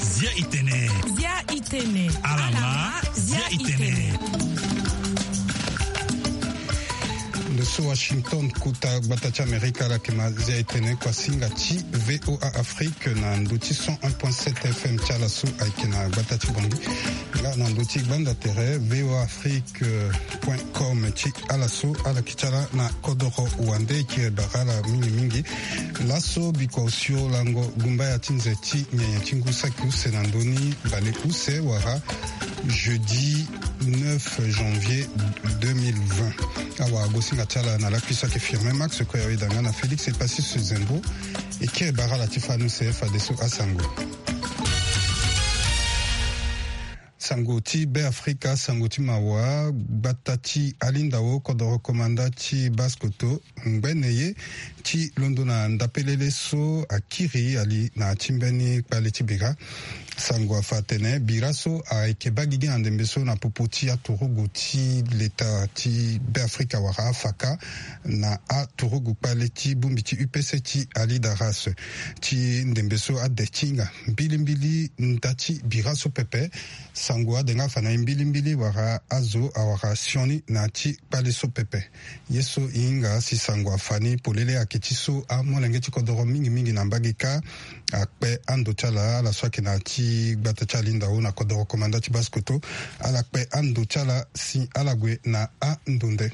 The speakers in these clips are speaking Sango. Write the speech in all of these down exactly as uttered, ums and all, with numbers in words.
Zia itene. Zia itene. Alama. Zia itene. Ndo so Washington, kota gbata ti Amerika, ala yeke ma zia itene kuasinga ti V O A Afrique na ndo ti cent un point sept F M ti ala so ayeke na gbata ti Bangui. Nga na ndo ti gbanda tere V O A Afrique point com ti ala so ala yeke ti ala na kodoro wande, e kiri bara ala mingi mingi. Laso biko osio lango gumbaya ti nze ti nyenye ti ngu saki use na ndö ni bale use wala jeudi neuf janvier deux mille vingt. Awara gosinga ti ala na lakui so ayeke Firmin Max, kue awe danga na Félix Epassis Zembo. E kiri bara ala ti fani use fadeso asango. Sango ti Beafrika, sango ti mawa. Gbata ti Alindao, kodoro komanda ti Basse-Kotto, ngbene ye ti londo na ndapelele so akiri ali na ti mbeni kpale ti bira. Sango afa atene bira so ayeke baa gigi na ndembe so na popo ti aturugu ti leta ti Beafrika wala afaka na aturugu kpale ti bongbi ti U P C ti Alidaras. Ti ndembe so ade ti hinga mbilimbili nda ti bira so pepe. Sango ade nga afa na e mbilimbili wala azo awara sioni na ti kpale so pepe. Ye so e hinga si sango afa ni polele ayeke ti so amolenge ti kodoro mingi mingi na mbage kâ akpe ando ti ala, ala so ayeke na ti gbata ti Alindao na kodoro komanda ti Basse-Kotto, ala kpe ando ti ala si ala gue na ando nde.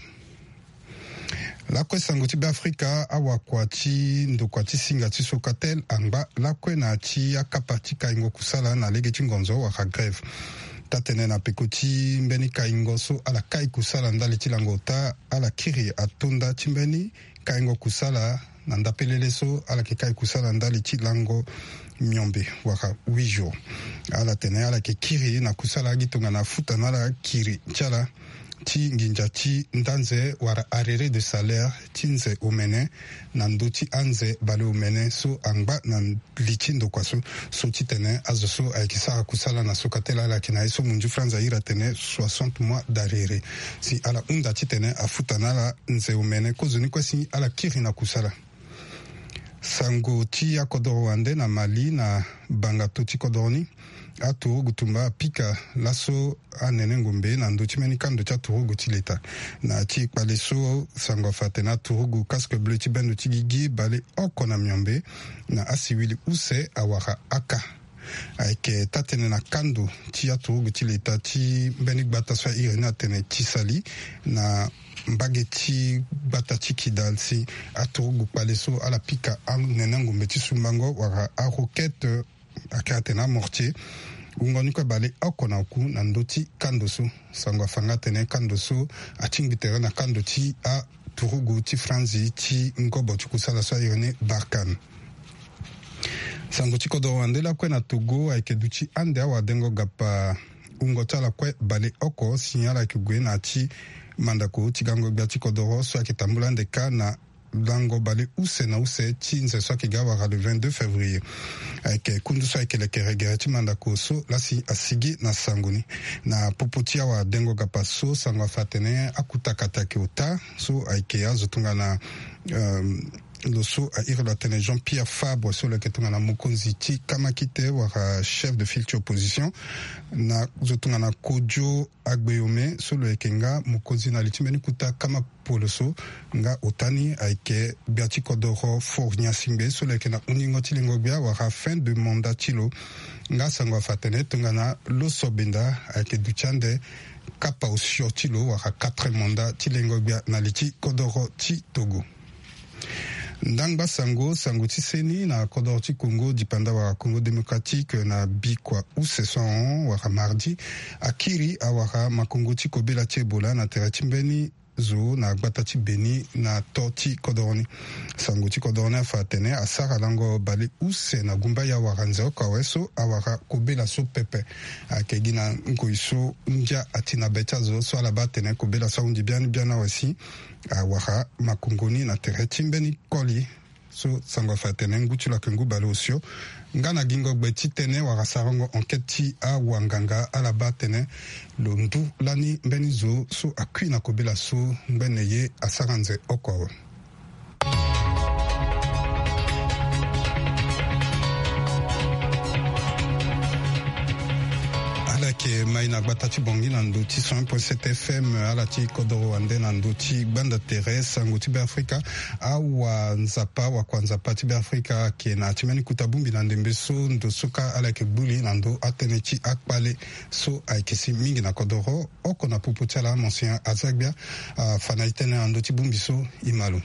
Lakue sango ti Beafrika, awakua ti ndokua ti singa ti Socatel angba lakue na ti akapa ti kaingo kusala na lege ti ngonzo wala grève. Taa-tene na peko ti mbeni kaingo so ala kai kusala ndali ti lango ota, ala kiri atonda ti mbeni kaingo kusala na ndapelele so ala yeke kai kusala ndali ti lango miombe wala huit jours. Ala tene ala yeke kiri na kusala agi tongana afuta na ala kiri ti ala ti nginza ti nda nze wala arrêt de salaire ti nze omene na ndö ti anze baleomene so angba na li ti ndokua so. So titene azo so ayeke sara kusala na Socatel ala yeke na ye so munzu franz ahiri atene soixante mois d'arrêt si ala hunda titene afuta na ala nze omene kozoni kue si ala kiri na kusala. Sango ti akodoro wande na Mali, na bangato ti kodoro ni, aturugu tumba apika laso anene ngombe na ndö ti mbeni kando ti aturugu ti leta. Na ti kpale so, sango afa atene aturugu casque bleu ti bendo ti gigi baleoko na miombe na asiwili use awara aka. Ayeke taa-tënë na kando ti aturugu ti leta ti mbeni gbata so ahiri ni atene ti sali na mbage ti gbata ti Kidal si aturugu kpale so ala pika anene ngombe ti sumbango wala aroquette, ayeke atene amortier, wungo ni kue baleoko na oku na ndö ti kando so. Sango afa nga atene kando so atingbi tere na kando ti aturugu ti franzi ti ngobo ti kusala so ahiri ni Barkhane. Sango ti kodoro wande lakue na Togo ayeke duti ande awadengo gapa wungo ti ala kue baleoko si ala yeke gue na ya ti mandako ti gango gbia ti kodoro so ayeke tambula ande kâ na lango baleuse na use ti nze so ayeke ga awara le vingt-deux février. Ayeke kundu so ayeke lekere gere ti mandako so laa si asigi na sango ni. Na popo ti awadengo gapa so, sango afa atene akutakata ayeke ota so ayeke azo tongana, euh, lo so ahiri lo atene Jean-Pierre Fabre so lo yeke tongana mokonzi ti kamakite wala chef de file ti opposition, na zo tongana Kojo Agbeyome so lo yeke nga mokonzi na li ti mbeni kota kama poloso, nga ota ni ayeke gbia ti kodoro Faure Gnassingbé so lo yeke na hungingo ti lengo-gbia wala fin de mandat ti lo. Nga sango afa atene tongana Loso Benda ayeke duti ande kapa osio ti lo wala quatre mandat ti lengo-gbia na li ti kodoro ti Togo. Ndangba sango, sango ti seni na kodoro ti Congo dipanda wala Congo Démocratique na bikua use so ahon wala mardi akiri awara makongo ti kobela ti Ebola na tere ti mbeni zo na gbata ti Beni na to ti kodoro ni. Sango ti kodoro ni afa atene asara lango baleuse na gumbaya wala nze oko awe so awara kobela so pepe. Ayeke gi na ngoi so ndia ati na be ti azo so ala baa atene kobela so ahunzi biani biani awe si awara makongo ni na tere ti mbeni koli. So sango afa atene ngu ti lo ayeke ngu baleosio. Nga na gingo gbe ti tënë wala sarango enquête ti awanganga ala baa atene lo ndu lani mbeni zo so akui na kobela so ngbene ye asara nze oko awe. Ala yeke mai na gbata ti Bangui na ndo ti cent un point sept F M, ala ti kodoro wande na ndo ti gbanda tere sango ti Beafrika. Awanzapa, wakua nzapa ti Beafrika ayeke na ya ti mbeni kota bongbi na ndembe so ndo so kâ ala yeke gbu li na ndo atënë ti akpale so ayeke si mingi na kodoro. Oko na popo ti ala, Monseigneur Azagbia, afa na e tënë na ndö ti bongbi so. E ma lo.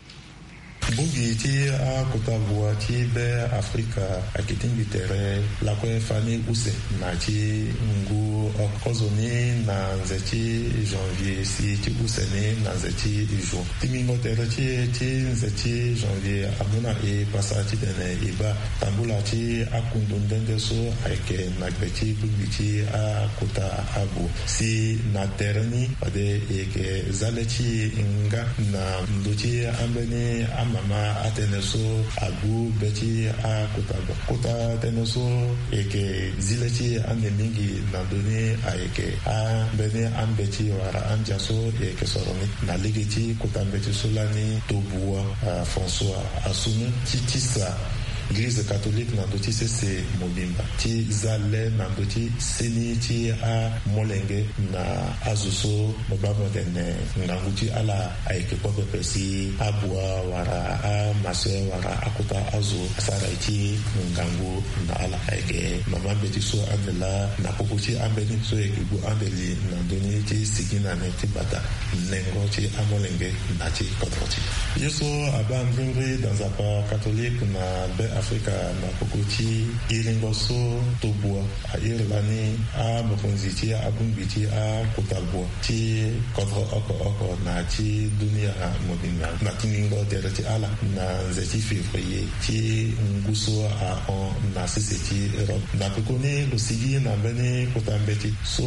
Bongbi ti akota bua ti Be Afrika ayeke tingbi tere lakue fani use na ti ngu oko kozoni na nze ti janvier si ti use ni na nze ti juin. Tingbingo tere ti e ti nze ti janvier amu na e pasa titene e baa tambula ti akundu nde nde so ayeke na gbe ti bongbi ti akota abu. Si na tere ni fade e yeke za le ti e nga na ndö ti ambeni amama atënë so agbu be ti akota abu. Kota tënë so e yeke zi le ti e ande mingi na ndö ni ayeke ambeni ambeti wala andia so e yeke soro ni. Na lege ti kota mbeti so lani tobua, ah, François Assoume ti tisa Eglize catholique na ndö ti sese mobimba ti za le na ndö ti seni ti amolenge na azo so mo baa mo tene ngangu ti ala ayeke kue pepe si abua wala amaseur wala akota azo asara ye ti ngangu na ala. Ayeke mama mbeti so ande laa na popo ti ambeni so e yeke gue ande li na ndö ni ti sigi na ni ti bata nengo ti amolenge na ti kodro ti e. Ye so abaa mbrimbri da nzapa katolike na Be Afrika na popo ti iringo so tobua a iri lani amokonzi ti abongbi ti akota bua ti kodro oko oko na ti dunia mobimba na tingbingo tere ti ala na nze ti février ti ngu so ahon na sese ti Europe. Na pekoni lo sigi na mbeni kota mbeti so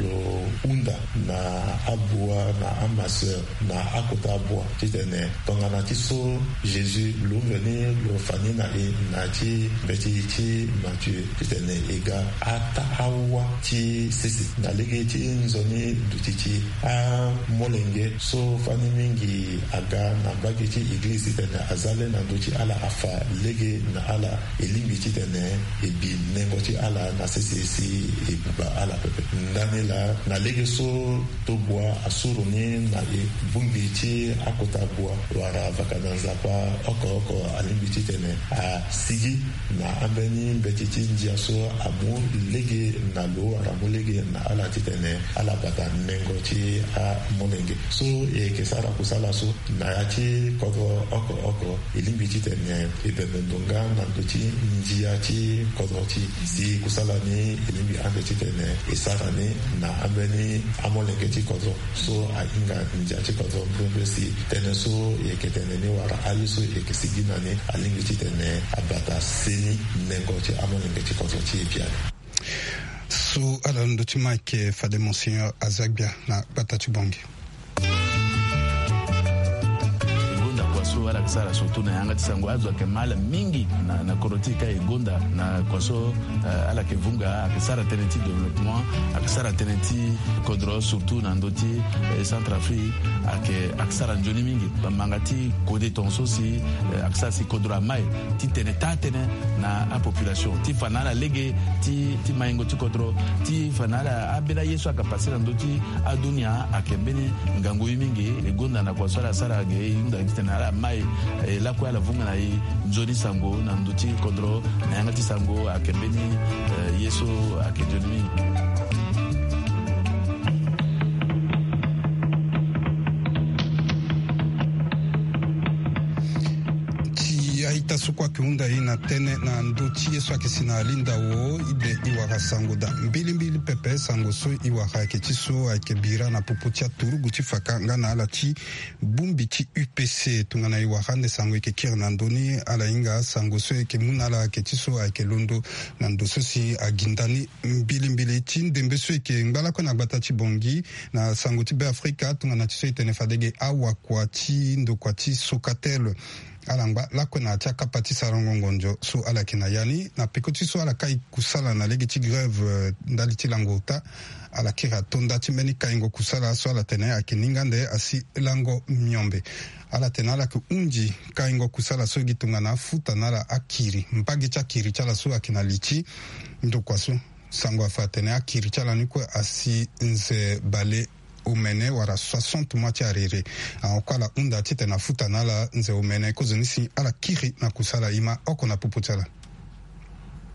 lo hunda na abua na amaseur na akota bua titene tongana ti so Jésus lo mveni lo fa ni na e na ti mbeti ti Matthieu titene e ga ata awa ti sese na lege ti nzoni duti ti amolenge so fani mingi aga na mbage ti eglize titene aza le na ndö ti ala afa lege na ala. E lingbi titene e bi nengo ti ala na sese si e buba ala pepe. Ndani laa na lege so tobua asuru ni na e bongbi ti akota bua wala vaka na nzapa oko oko alingbi titene asigi na ambeni mbeti ti ndia so amu lege na lo wala amu lege na ala titene ala bata nengo ti amolenge. So e yeke sara kusala so na ya ti kodro oko oko e lingbi titene e bembe ndo nga na ndö ti ndia ti kodro ti e si kusala ni e lingbi ande titene e sara ni na ambeni amolenge ti kodro so ahinga ndia ti kodro mbrimbri si tënë so e yeke tene ni wala aye so e yeke sigi na ni alingbi titene abata seni nengo ti amolenge ti kodro ti e biani. So ala ndö ti ma ayeke fade Monseigneur Azagbia na gbata ti Bangui. E gonda kua so ala yeke sara surtout na yanga ti sango azo ayeke ma ala mingi na, na kodro ti e ka e gonda na kua so, eh, ala yeke vunga ayeke sara tënë ti développement, ayeke sara tënë ti kodro surtout na ndö ti, eh, Centrafrique ayeke, ayeke sara nzoni mingi. Bamanga ti kode tongaso si, eh, ayeke sara si kodro amai titene taa tënë na apopulation ti fa na ala lege ti, ti maingo ti kodro ti fa na ala ambeni aye so ayeke pase na ndö ti adunia ayeke mbeni ngangu ye mingi. E gonda na kua so ala sara ge e hunda titene ala mai, eh, lakue ala vunga na e nzoni sango na ndö ti kodro na yanga ti sango ayeke mbeni, eh, ye so ayeke nzoni mingi. Ti a-ita so kue ayeke hunda e na tënë na ndö ti ye so ayeke si na alindao, e be e wara sango daa mbilimbili pepe. Sango so e wara ayeke ti so ayeke bira na popo ti aturugu ti faka nga na ala ti bongbi ti U P C. Tongana e wara ande sango e yeke kiri na ndö ni, ala hinga sango so e yeke mu na ala ayeke ti so ayeke londo na ndo so si aginda ni mbilimbili ti ndembe so e yeke ngba lakue na gbata ti Bangui na sango ti Beafrika, tongana ti so e tene fade ge awakua ti ndokua ti Socatel. Ala ngba lakue na ya ti akapa ti sarango ngonzo so ala yeke na ya ni na peko ti so ala kai kusala na lege ti grève ndali ti lango ota. Ala kiri atonda ti mbeni kaingo kusala so ala tene ayeke ninga nde asi lango miombe. Ala tene ala yeke hunzi kaingo kusala so gi tongana afuta na ala akiri mbage ti akiri ti ala so ayeke na li ti ndokua so. Sango afa atene akiri ti ala ni kue asi nze bale omene wala soixante mois ti arere. Ahon kue ala hunda titene afuta na ala nze omene kozoni si ala kiri na kusala e ma oko na popo ti ala.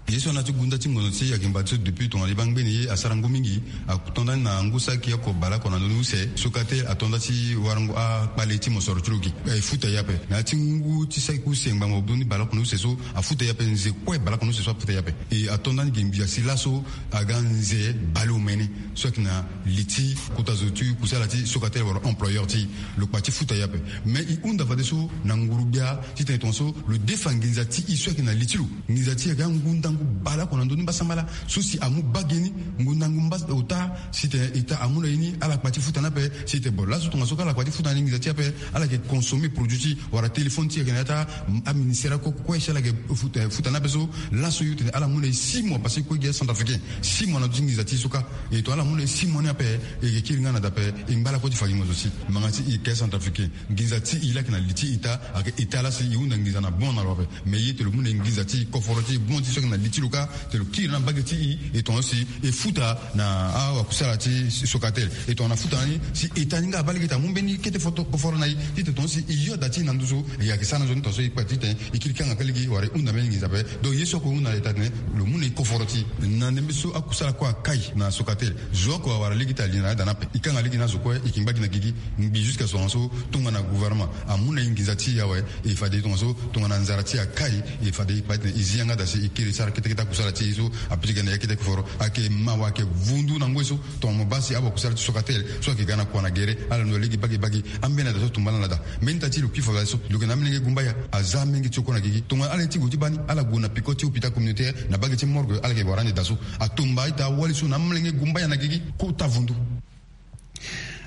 Ye so ana ti gunda ti ngonzo ti e ayeke mbati so depuis tongana e baa ngbeni ye asara ngu mingi. Atonda ni na ngu saki oko baleoko na ndoni use so kate atonda ti warango akpale ti mosoro ti lo gi. E futa e ape na ya ti ngu ti saki use ngbangbo ndoni baleoko na use so afuta e ape nze kue baleoko na use so afuta e ape. E atonda ni gi mbi asi laso aga nze baleomene so ayeke na li ti kota zo ti kusala ti sokatele wala employeur ti e. Lo kpa ti futa e ape. Mais e hunda fadeso na nguru-gbia titene tongaso lo defa nginza ti e so ayeke na li ti lo. Nginza ti e ayeke angu ndangu baleoko na ndoni mbasambala so si amu baa ge ni ngu ndangu mbas ota. Sitene eta amu na e ni ala kpa ti futa ni ape. Sitene bon laso tongaso ka ala kpa ti futa ni nginza ti e ape. Ala yeke consommer produit ti wala téléphone ti e ayeke na ya ti aministère akue kue si ala yeke futa ni ape so. Laso yo tene ala mu na e six mois parce que e kue gi acentrafricain. Six mois na ndö ti nginza ti e so kâ. E tongana ala mu na e six mois ni ape e yeke kiri nga na da ape. E ngba lakue ti fa gi ngonzo ti e manga ti e yeke acentrafricain. Nginza ti e laa ayeke na li ti eta ayeke eta laa si e hunda nginza na bon na lo ape. Mais ye tene lo mu na e nginza ti e koforo ti e bon ti e so ayeke na li ti lo kâ. Tene lo kiri na mbage ti e e tongaso si e futa na awakusala ti sokatel. E tongana futa na ni si eta ni nga abaa lege ti amu mbeni kete foto koforo na e titene tongaso si e yo da ti e na nduzu. E yeke sara na nzoni tongaso e kpa titene e kiri kanga kâ lege wala e hunda mbeni nginza ape. Donc ye so ako hunda na eta tene lo mu na e koforo ti e na ndembe so akusala kue akai na sokatel. Zo oko awara lege ti ali na ya da ni ape. E kanga lege na azo kue e yeke ngba gi na gigi. Ngbi jusqu'à so tongaso tongana gouvernement amu na e nginza ti e awe. E fade tongaso tongana nzara ti e akai e fade e kpa titene e zi yanga da si e kiri sara kete kete akusala ti e so. Apitike na ya kete koforo ayeke mawa ayeke vundu na ngoi so. Tongana mo baa si awakusala ti sokatel so ayeke ga na kua na gere ala ndo lege bage bage. Ambeni ada so atumba ala na da. Mbeni ita ti lo kpi fa so lo yeke na amolenge gumbaya. Aza amolenge ti oko na gigi tongana ala ye ti gue ti baa ni ala gue na peko ti hôpital communautaire na bage ti morgue ala yeke wara ande da so. Atumba ita awali so na amolenge gumbaya na gigi kota vundu.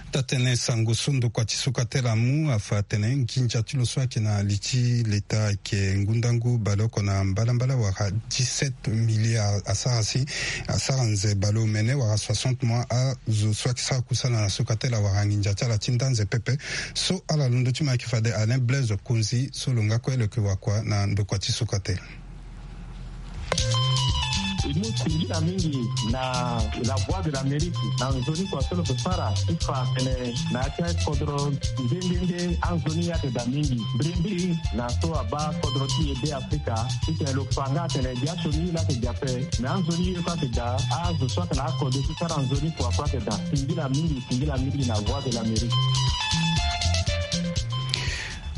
Taa-tënë sango so ndokua ti sokatel amu afa atene nginza ti lo so ayeke na li ti leta ayeke ngu ndangu baleoko na mbalambala wala dix-sept milliards asara si asara nze baleomene wala soixante mois azo so ayeke sara kusala na sokatel awara nginza ti ala ti nda nze pepe. So ala londo ti mo ayeke fade Alain Blaise Konzi so lo nga kue lo yeke wakua na ndokua ti sokatel. E mu singila mingi na La Voix de l'Amérique na nzoni kua so lo yeke sara ti fa atene na ya ti akodro nde nde nde anzoni ayeke daa mingi. Mbirimbiri na so abaa kodro ti e Be Afrika titene lo fa nga atene biasioni ye laa ayeke daa ape. Me anzoni ye kue ayeke daa azo so ayeke na akode ti sara nzoni kua kue ayeke daa. Singila mingi singila mingi na Voix de l'Amérique.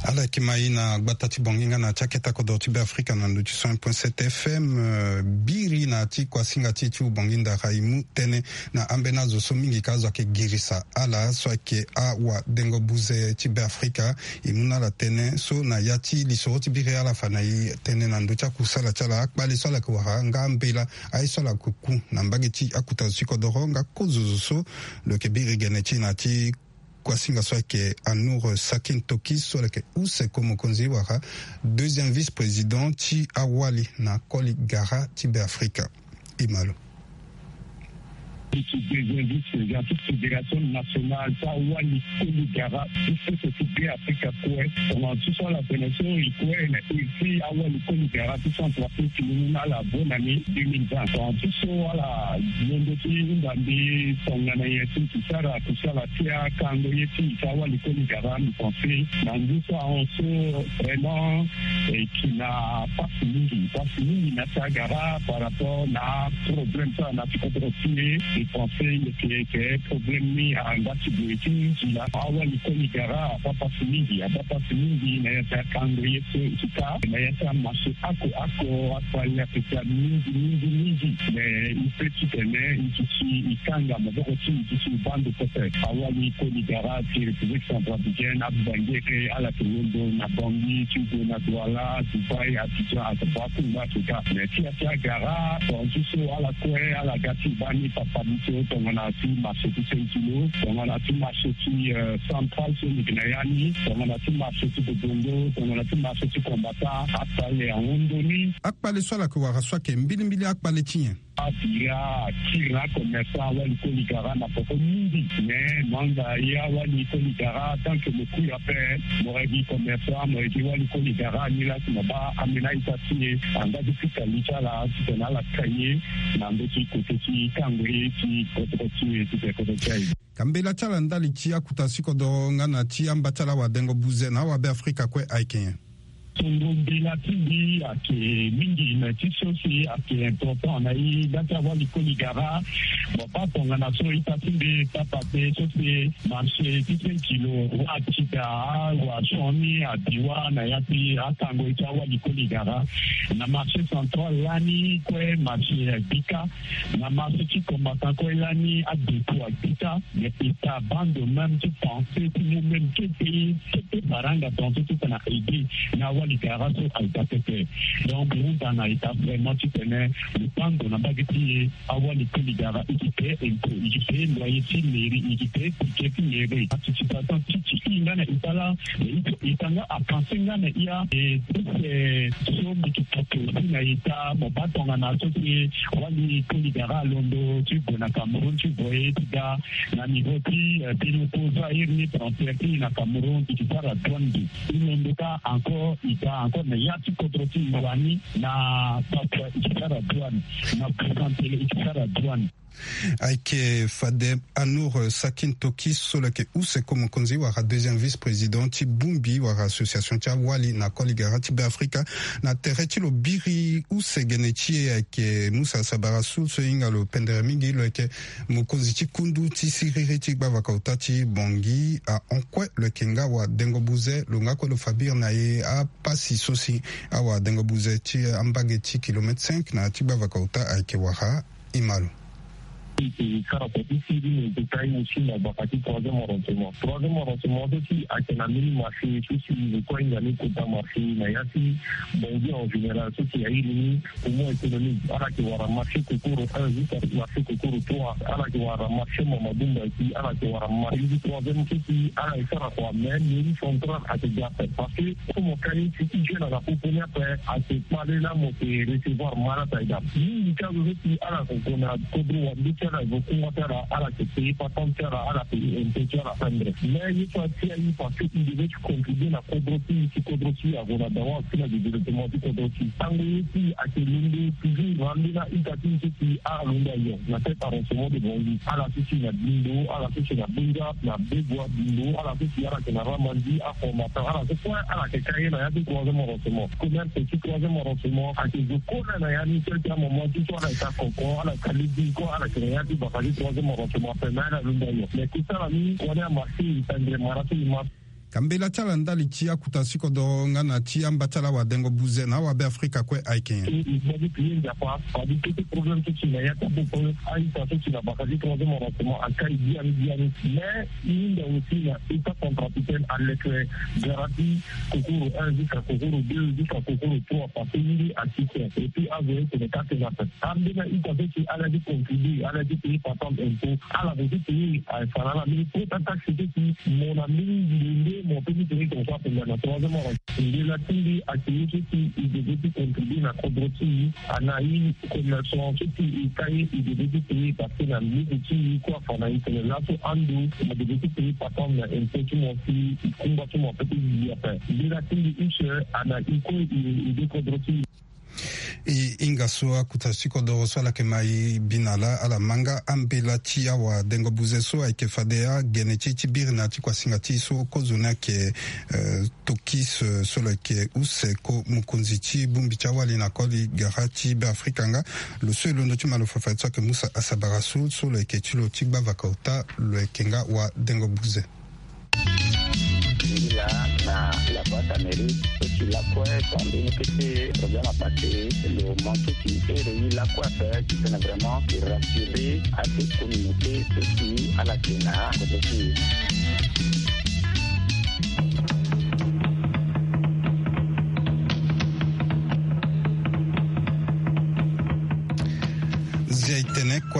Ala yeke ma e na gbata ti Bangui nga na ya ti akete kodro ti Be Afrika na ndö ti cent point sept F M. Biri na ya ti kuasinga ti e ti Bangui ndara e mu tënë na ambeni azo so mingi ka azo ayeke girisa ala so ayeke awadengo buze ti Be Afrika. E mu na ala tënë so na ya ti lisoro ti biri ala fa na e tënë na ndö ti akusala ti ala akpale so ala yeke wara nga ambela aye so ala yeke ku na mbage ti akota zo ti kodoro nga kozo zo so lo yeke biri gene ti e na ya ti kuasinga so ayeke Anour Sakin Toki so lo yeke use ko mokonzi wala deuxième vice-président ti awali na koli gara ti Be Afrika. E ma lo. Ti deuxième vice-président ti fédération nationale ti awali koli gara ti sese ti Be Afrika kue tongana ti so ala tene so e kue na iri ti awali koli gara ti Centrafrique ni na ala bonne année deux mille vingt. Tongana ti so ala londo ti hunda mbi tongana nyen ti sara kusala ti akango ye ti e ti awali koli gara. Mbi pense na ngu so ahon so vraiment e yeke na pasi mingi pasi mingi na ya ti agara par rapport na aproblème so ala na ti kodro ti e. Mbi pense e yeke yeke problème ni angba ti gue ti nzila awali koli gara abaa pasi mingi abaa pasi mingi na ya ti akango ye so e ti ka na ya ti amaché oko oko akpale ape ti a mingi mingi mingi. Mais e pe titene e duti e kanga maboko ti e duti e baa ndo pepe. Awali koli gara ti République Centrafricaine abangere ala yeke londo na Bangui ti gue na Douala, Dubaï, Abidjan, Accra, Kumba, tout ça. Mais ti ya ti agara bon ti so ala kue ala ga ti baa ni papa. So tongana ti marché ti cinq kilo, tongana ti marché ti central so mbi yeke na ya ni, tongana ti marché ti bobongo, tongana ti marché ti kombata, atale ahon ndoni. Akpale so ala yeke wara so ayeke mbilimbili akpale ti nyen? Abira akiri na acommerçant awali koli gara na poko mingi. Mais mo anga ye awali koli gara tant que mo kui ape, mo yeke commerçant, mo yeke wali koli gara, ni laa si mo baa ambeni a-ita ti e angba ti fika li ti ala titene ala kai ye na ndö ti kote ti kango ye ti kodro ti e ti kodro ti aye. Ka mbela ti ala ndali ti akuta si kodoro nga na ti amba ti ala awadengo buze na awabeafrika kue ayeke nyen? Tongo mbela ti mbi ayeke mingi, me ti so si ayeke important na e nda ti awali koli gara. Mo baa tongana so ita ti mbi papa te so si marché ti cinq kilo wa tita awa sioni abiwa na ya ti akango ye ti awali koli gara. Na marché central lani kue marché abika. Na marché ti combattant kue lani adepo abika. Mais ita bando même ti pensée ti nous même ti pays ti paranga pensée ti tena aidé na awali gara so aida pepe. Donc mbi hunda na ita vraiment titene lo bando na mbage ti e, awali koli gara e yeke paye impôt, e yeke paye loyer ti mairie, e yeke paye ticket ti mairie, participation ti ti e nga na ita laa. Mais il faut ita nga apenser nga na e a. Et tout ce so mbi yeke porte aussi na ita, mo baa tongana so si awali koli gara alondo ti gue na Cameroun ti voye ti ga na niveau ti biloko Zaïre ni frontière ti e na Cameroun, e yeke sara douane mbi. E londo kâ encore, e ga encore na ya ti kodro ti e wani na Papouasie e yeke sara douane, na Bougainville e yeke sara douane. Ayeke fade Anour Sakin Toki so lo yeke use ko mokonzi wala deuxième vice-président ti bongbi wala association ti awali na koli gara ti Beafrika. Na tere ti lo biri use gene ti e ayeke Musa Sabara Soul so e hinga lo pendere mingi. Lo yeke mokonzi ti kundu ti siriri ti gbavaka ota ti Bangui ahon kue. Lo yeke nga awadengo buze, lo nga kue lo fa biri na e apasi so si awadengo buze ti ambage ti kilomètre cinq na ya ti gbavaka ota ayeke wara. Imalo. E sara kua ti siriri, e yeke kai aussi na gbaka ti troisième arrondissement. Troisième arrondissement so si ayeke na mbeni marché so si e kue ahinga ni kota marché na ya ti Bangui en général so si airi ni poumon économique. Ala yeke wara marché Kokoro un jusqu'à marché Kokoro trois. Ala yeke wara marché Mamadou Mbaye, ala yeke wara marché ti troisième so si ala yeke sara kua, mais mairie centrale ayeke ga ape parce que comme ka ye si ti jeune ala popo ni ape, ayeke kpale laa mo yeke recevoir malade aye daa. Mingi ti azo so si ala yeke gue na kodro wande ti ala, e gue kungba ti ala, ala yeke paye patente ti ala, ala paye impôt ti ala, enfin bref. Mais ye so ati aye parce que e devait ti contribuer na kodro ti e si kodro ti e ague na dawa ti na développement ti kodro ti e. Tango ye ti e ayeke londo toujours na ambeni a-ita ti e so si ala londo ayo na tête arrondissement de Bangui, ala so si na Bindo, ala so si na Bengap, na Begoua, Bindo, ala so si ala yeke na Ramandi, Afomatan, ala so kue ala yeke ka ye na ya ti troisième arrondissement. Commerce ti troisième arrondissement ayeke zo kue na ya ni ti ayeke amoment ti so ala yeke akoko, ala yeke alégui kue, ala yeke na ya ti baka ti troisième arrondissement ape, mais ala londo ayo. Mais kusala ni kua ni amarché, e tendre mara so e ma. Ka mbela ti ala ndali ti akuta si kodoro nga na ti amba ti ala awadengo buze na awabeafrika kue ayeke nyen? E, e gbagi pie Nzapa, fade kete problème so si na ya ti aboko a-ita so si na baka ti troisième arrondissement akai biani biani. Mais e hinga aussi na État centrafricain aleke gara ti Kokoro un jusqu'à Kokoro deux jusqu'à Kokoro trois parce que ye nde asiste. Et puis azo ye tene ka tene ape. Ambeni a-ita so si ala ye ti contribuer, ala ye ti payer patente impôt, ala gue ti payer, eh, fa na ala mbeni quota taxe so si mo na mbeni nde nde mo peut ti payer comme ça pendant na troisième arrondissement. Mbela ti mbi ayeke ye so si e devait ti contribuer na kodro ti e, ana e commerçant so si e ka ye e devait ti payer parce que na mbuku ti e kue afa na e tene laso ando mo devait ti payer patente na impôt ti mo si e kungba ti mo ape ti gi ape. Mbela ti mbi use ana e kue e, e de kodro ti e. E hinga so akuta ti kodoro so ala yeke ma e bi na laa, ala ma nga ambela ti awadengo buze so ayeke fade agene ti e ti biri na ya ti kuasinga ti e so kozoni ayeke, eh, Tokis, eh, so lo yeke use ko mokonzi ti bongbi ti awali na koli gara ti Beafrika nga. Lo so e londo ti ma lo fafa ti so ayeke Musa Asabara so, so lo yeke ti lo ti gbavaka ota, lo yeke nga awadengo buze. Ngila na la boîte à mairie, so si lakue, so ambeni kete problème apassé, lo manque ti ere ye lakue ape, titene vraiment e rassurer ate communauté so si ala yeke na kozo ti e. Zia e tene kue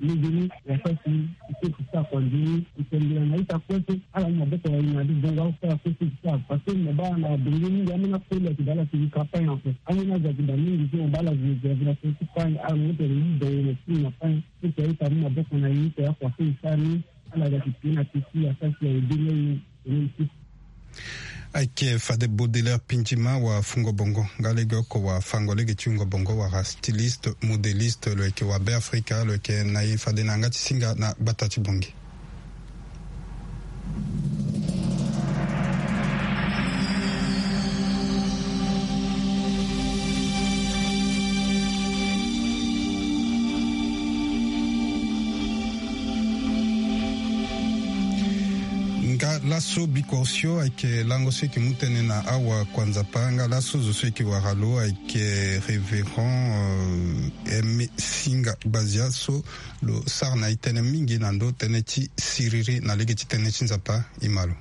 Legeni ya fasi ike ti sara kua nzoni itembela na ita kue so ala mu maboko na ye na adi bongo akosala kue so ti sara parce que na baa na benge mingi ambeni akoli ayeke daa ala ti yika pain ape. Ambeni azo ayeke daa mingi so na baa ala zi zi avila so ti pain ala mu tene mu bongo na sini na pain so ti aita mu maboko na ye ti akua so e sara ni. Ala ga ti pie na pie ti asasi aye beni aye. Ayeke fade Baudelaire Pindjima wa Fungo Bongo nga lege oko wa fango lege ti Fungo Bongo wala styliste modéliste lo yeke wa Beafrika lo yeke na e fade na yanga ti singa na gbata ti Bangui. Nga laso bikua osio ayeke lango so eke mu tënë na awa kua nzapa nga laso zo so eke wara lo ayeke révérend Aimé Singa Gbazia so lo sara na e tënë mingi na ndö tënë ti siriri na lege ti tënë ti nzapa. E ma lo.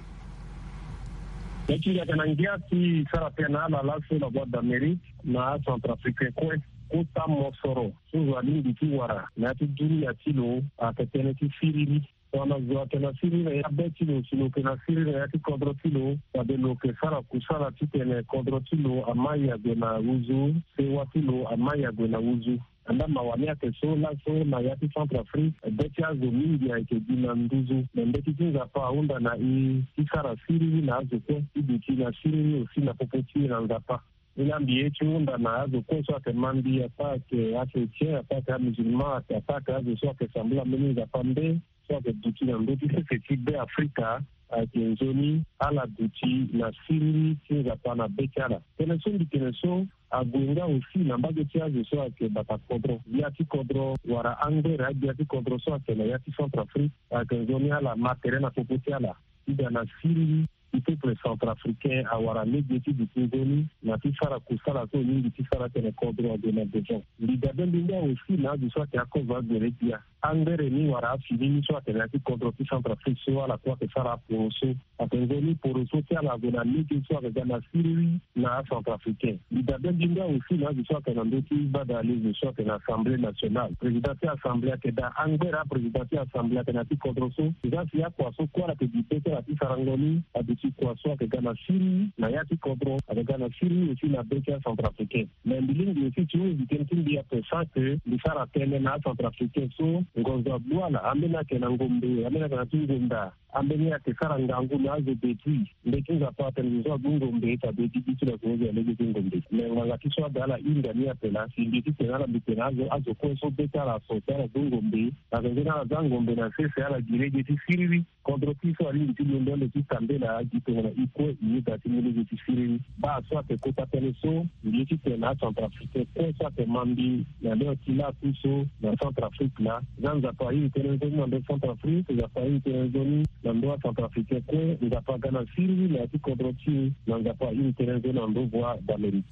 Ye ti ngia yeke na ngia ti sara tënë na ala laso na voie d'Amérique na acentrafricain kue. Kota mosoro so zo alingbi ti wara na ya ti dunia ti lo ayeke tënë ti siriri. Tongana zo ayeke na siriri na ya be ti lo si lo yeke na siriri na ya ti kodro ti lo, fade lo yeke sara kusala titene kodro ti lo amai ague na uzu, sewa ti lo amai ague na uzu. Andaa mawa ni ayeke so laso na ya ti Centrafrique be ti azo mingi ayeke gi na nduzu. Me mbeti ti nzapa ahunda na e ti sara siriri na azo kue ti duti na siriri aussi na popo ti e na nzapa. Ni na mbi ye ti hunda na azo kue so ayeke ma mbi, ataa ayeke achrétien, ataa ayeke amusulman, ataa ayeke azo so ayeke sambela mbeni nzapa nde so ayeke duti na ndö ti sese ti Beafrika, ayeke nzoni ala duti na siriri ti nzapa na be ti ala. Tënë so mbi tene so ague nga aussi na mbage ti azo so ayeke bata kodro, gbia ti kodro wala angbere agbia ti kodro so ayeke na ya ti Centrafrique, ayeke nzoni ala ma tere na popo ti ala ti ga na siriri ti peuple centrafricain awara lege ti duti nzoni na ti sara kusala so e lingbi ti sara tene kodro ague na devant. Mbi dabe mbi nga aussi na azo so ayeke akozo agbere gbia. Angbere ni wala afini ni so ayeke na ya ti kodro ti Centrafrique so ala kue ayeke sara aporo so. Ayeke nzoni poro so ti ala ague na lege so ayeke ga na siriri na acentrafricain. Mbi dabe mbi nga aussi na azo so ayeke na ndö ti gbada alezo so ayeke na Assemblée nationale. Président ti Assemblée ayeke daa angbere aprésident ti Assemblée ayeke na ya ti kodro so. Eza si akua so kue ala yeke gi be ti ala ti sarango ni aduti Kua so ayeke ga na Syrie na ya ti kodro, ayeke ga na Syrie aussi na be ti acentrafricain. Mais mbi lingbi aussi ti hunzi tënë ti mbi ape sans que mbi sara tënë na acentrafricain so ngonzo agbu ala, ambeni ayeke na ngombe, ambeni ayeke na ti ngonda, ambeni ayeke sara ngangu na azo depuis. Mbe ti Nzapa atene zo so agbu ngombe, e ta be ti gi ti lo azo so alege ti ngombe. Mais ngbanga ti so ada ala hinda ni ape laa si mbi ti tene ala mbi tene azo, azo kue so be ti ala aso si ala gbu ngombe, na zenze ni ala za ngombe na sese ala gi lege ti siriri. Kodro ti so alingbi ti londo ande ti tambela gi tongana e kue e yeda ti mu lege ti siriri. Baa so ayeke kota tënë so mbi ye ti tene na acentrafricain kue so ayeke ma mbi na lio ti laku so na Centrafrique laa. Za Nzapa ahiri tënë nzoni na ndo Centrafrique, Nzapa ahiri tënë nzoni na ndo acentrafricain kue, Nzapa aga na siriri na ya ti kodro ti e, na Nzapa ahiri tënë nzoni na ndo Voix d'Amérique.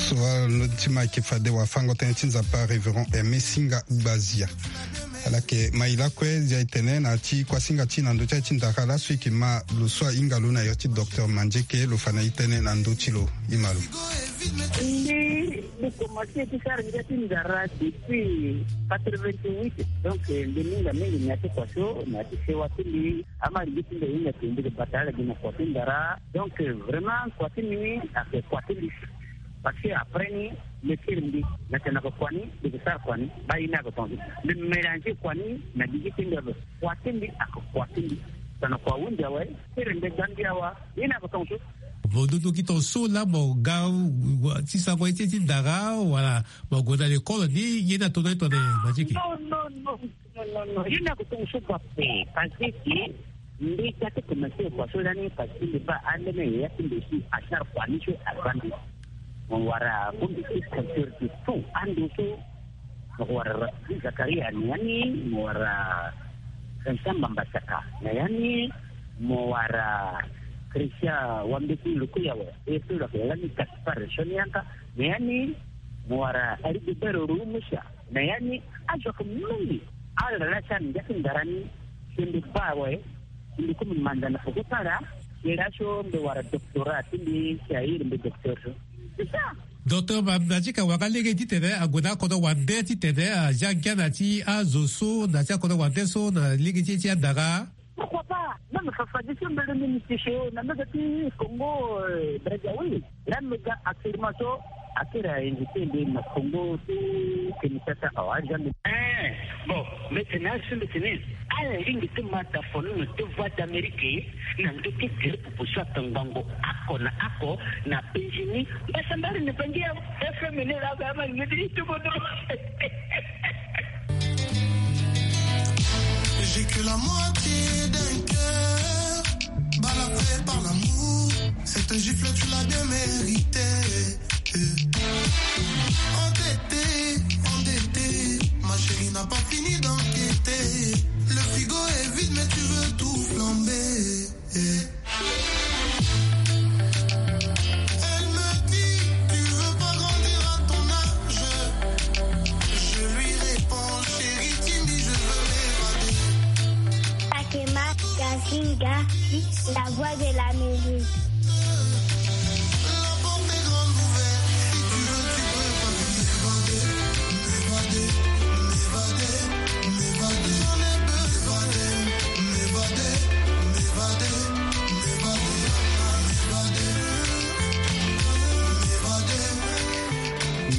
Sowal no ti ma ayeke fade wafango tënë ti Nzapa, Révérend Aimé Singa Gbazia. Ala yeke ma e lakue, zia e tene na ya ti kuasinga ti e na ndö ti aye ti ndara laso e yeke ma lo so ahinga lo na yo ti docteur Mandieke, lo fa na e tënë na ndö ti lo. E ma lo. Mbi, mbi komanse ti sara ngia ti ndara depuis quatre-vingt-huit. Donc, eh, mbi minga mingi na ya ti kua so, na ya ti sewa ti mbi. Ama lingbi ti mbi ahinga ti mbi bata ala gi na kua ti ndara. Donc, eh, vraiment, kua ti mbi ni ayeke kua ti mbi. Parce que après ni, mbi kiri mbi na tene na kua ni, mbi yeke sara kua ni, baa ye ni ayeke tongaso. Mbi mélanger kua ni na gigi ti mbi ape. Kua ti mbi ayeke kua ti mbi. Tongana kua ahunzi awe, kiri mbi ga mbi awa, ye ni ayeke tongaso. Mo dudu gi tongaso laa mo ga, wa, ti sango ye ti, ti ndara, wala mo gue na lekole ni, ye ni atona ye tongana Mandieke? Non, non, non, non, non, non. Ye ni ayeke tongaso kua ape, parce que mbi ga ti komanse kua so lani, parce que mbi baa ambeni yaya ti mbi si asara kua ni so aza mbi. Mo wara bongbi ti culture ti tout ando so. Mo wara Rafiki Zakaria ni yani, mo wara Vincent Mamba Saka na yani, mo wara Christian Wambeti Lukuyawa, e so lo yeke lani Gaspard Sonianka na yani, mo wara Rigobert Rumusa na yani. Azo ayeke mingi. Ala laa si ala ngia ti ndara ni, si mbi baa awe, si mbi kue mbi manza na peko ti ala, si laa so mbi wara doctorat ti mbi si airi mbi docteur so. C'est ça. Docteur Ma-, Mandieke awara lege titene ague na akodro wande titene azia ngia na ti azo so, na ti akodro wande so, na lege ti, ti andara. Pourquoi pas? Même Fafa Dissembele ni, Monsieur Cheo, na mega ti Congo, euh, Brazzaville. Là, mega actuellement so, akiri a invité mbi na Congo ti Kinshasa, awa, Jean de. Eh, bon, mbi tene asi, mbi tene, ala lingbi ti ma dafono na ti Voix d'Amérique, na ndö ti groupe so ayeke ngbongo oko na oko, na Benjini, mbasambala ni bangi ya F M ni la, ba ma ngeti ti bodo. J'ai que la moitié d'un cœur, balafré par l'amour. Cette gifle, tu l'as bien méritée. Endetté, endetté, ma chérie n'a pas fini d'enquêter. Le frigo est vide, mais tu veux tout flamber. Elle me dit, tu veux pas grandir à ton âge. Je lui réponds, chérie, Timmy, je veux m'évader. Fatima Kasinga, la voix de l'Amérique. La porte est grande ouverte, si tu veux, tu peux passer. M'évader, m'évader, m'évader, m'évader. J'en ai besoin. M'évader, m'évader, m'évader, m'évader, m'évader.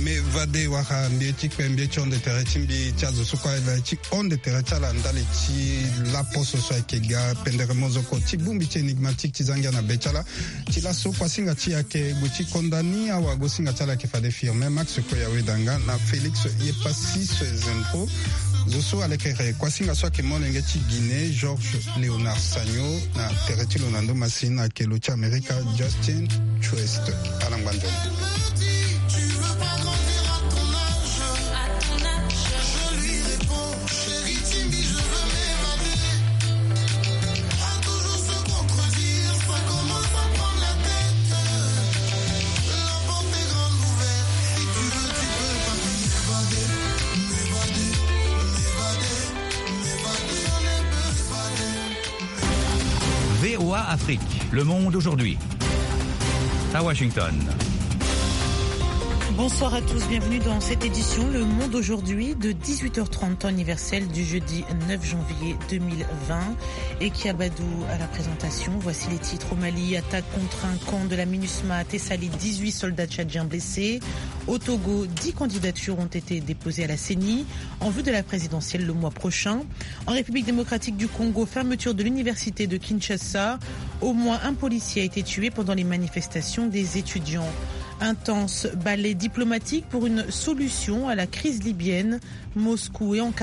M'évader, wala mbi ye ti kpe, mbi ye ti hon de tere ti mbi ti azo so kue ala ye ti hon de tere ti ala ndali ti laposo so ayeke ga pendere mozoko ti bongbi ti énigmatique ti za ngia na be ti ala. Ti laso kuasinga ti e ayeke gue ti konda ni, awagosinga ti ala ayeke fade Firmin Max Koya Wedanga na Félix Yepassis Zempro. Zo so alekere kuasinga so ayeke molenge ti Guinée, Georges Léonard Sagno, na tere ti lo na ndo masini ayeke lo ti Amerika, Justin Twist. Ala ngba nzoni. V O A Afrique, le monde aujourd'hui. À Washington. Bonsoir à tous, bienvenue dans cette édition Le Monde aujourd'hui de dix-huit heures trente, temps universel du jeudi neuf janvier deux mille vingt. Eki Abadou à la présentation. Voici les titres. Au Mali, attaque contre un camp de la MINUSMA à Tessalit, dix-huit soldats tchadiens blessés. Au Togo, dix candidatures ont été déposées à la C E N I en vue de la présidentielle le mois prochain. En République démocratique du Congo, fermeture de l'université de Kinshasa. Au moins un policier a été tué pendant les manifestations des étudiants. Intense balai diplomatique pour une solution à la crise libyenne. Moscou et Ankara